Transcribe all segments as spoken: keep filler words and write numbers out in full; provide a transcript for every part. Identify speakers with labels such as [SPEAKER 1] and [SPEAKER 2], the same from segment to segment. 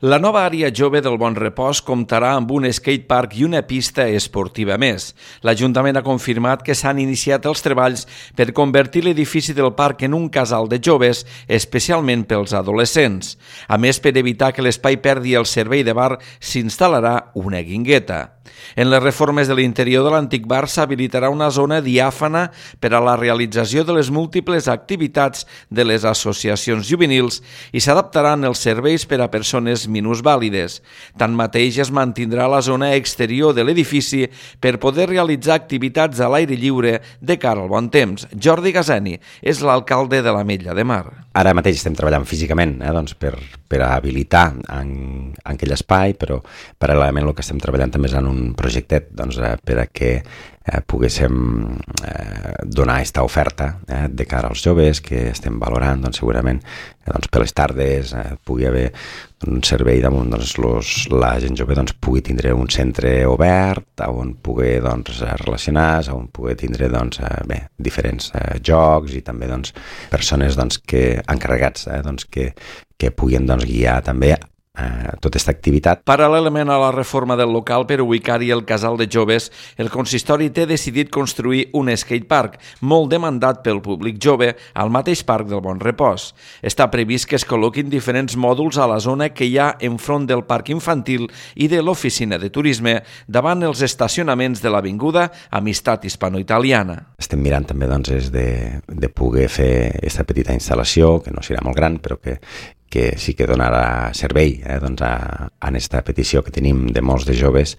[SPEAKER 1] La nova àrea jove del Bon Repòs comptarà amb un skatepark i una pista esportiva més. L'Ajuntament ha confirmat que s'han iniciat els treballs per convertir l'edifici del parc en un casal de joves, especialment pels adolescents. A més, per evitar que l'espai perdi el servei de bar, s'instal·larà una guingueta. En les reformes de l'interior de l'antic bar s'habilitarà una zona diàfana per a la realització de les múltiples activitats de les associacions juvenils i s'adaptaran els serveis per a persones minusvàlides. Tanmateix, es mantindrà la zona exterior de l'edifici per poder realitzar activitats a l'aire lliure de cara al bon temps. Jordi Gazeni és l'alcalde de l'Ametlla de Mar.
[SPEAKER 2] Ara mateix estem treballant físicament eh, doncs per, per habilitar en, en aquell espai, però paral·lelament el que estem treballant també és en un projectet doncs, eh, per a que eh, poguéssim eh, donar aquesta oferta eh, de cara als joves que estem valorant, doncs, segurament eh, doncs, per les tardes eh, pugui haver un servei damunt doncs, los, la gent jove doncs, pugui tindre un centre obert on pugui doncs, relacionar-se, on pugui tindre doncs, eh, bé, diferents eh, jocs i també doncs, persones doncs, que, encarregats eh, doncs, que, que puguin doncs, guiar també Eh, tota aquesta activitat.
[SPEAKER 1] Paral·lelament a la reforma del local per ubicar-hi el casal de joves, el consistori té decidit construir un skatepark molt demandat pel públic jove al mateix parc del Bon Repòs. Està previst que es col·loquin diferents mòduls a la zona que hi ha enfront del parc infantil i de l'oficina de turisme davant els estacionaments de l'avinguda Amistat Hispano-Italiana.
[SPEAKER 2] Estem mirant també doncs, és de, de poder fer aquesta petita instal·lació, que no serà molt gran, però que que sí que donarà servei eh, doncs a, a aquesta petició que tenim de molts de joves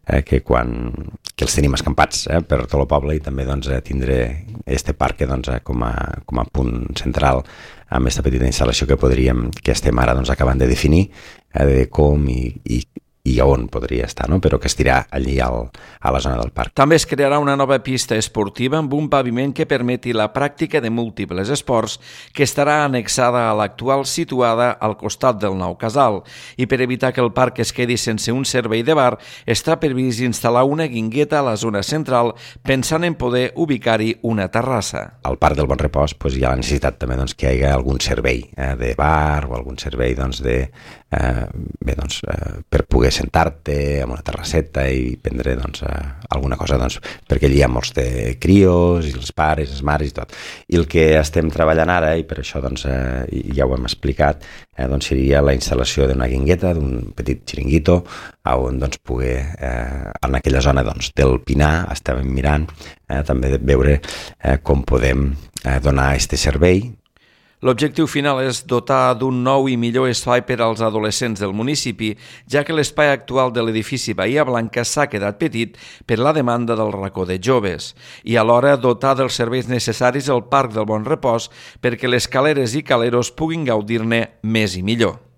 [SPEAKER 2] eh, que, quan, que els tenim escampats eh, per tot el poble i també doncs, tindre este parc doncs, com, a, com a punt central amb aquesta petita instal·lació que podríem, que estem ara doncs, acabant de definir eh, de com i, i i on podria estar, no? Però que estirà allí al, a la zona del parc.
[SPEAKER 1] També es crearà una nova pista esportiva amb un paviment que permeti la pràctica de múltiples esports que estarà annexada a l'actual situada al costat del nou casal. I per evitar que el parc es quedi sense un servei de bar, està previst instal·lar una guingueta a la zona central pensant en poder ubicar-hi una terrassa.
[SPEAKER 2] Al parc del Bon Repòs pues, hi ha la necessitat també doncs, que hi hagi algun servei eh, de bar o algun servei doncs, de, eh, bé, doncs, eh, per poder sentar-te en una terrasseta i prendre doncs, eh, alguna cosa doncs, perquè allí hi ha molts de crios i els pares, les mares i tot. I el que estem treballant ara, i per això doncs, eh, ja ho hem explicat, eh, doncs, seria la instal·lació d'una guingueta, d'un petit xiringuito, on doncs, poder, eh, en aquella zona doncs, del Pinar, estàvem mirant eh, també de veure eh, com podem eh, donar aquest servei.
[SPEAKER 1] L'objectiu final és dotar d'un nou i millor espai per als adolescents del municipi, ja que l'espai actual de l'edifici Bahia Blanca s'ha quedat petit per la demanda del racó de joves, i alhora dotar dels serveis necessaris el Parc del Bon Repòs perquè les caleres i caleros puguin gaudir-ne més i millor.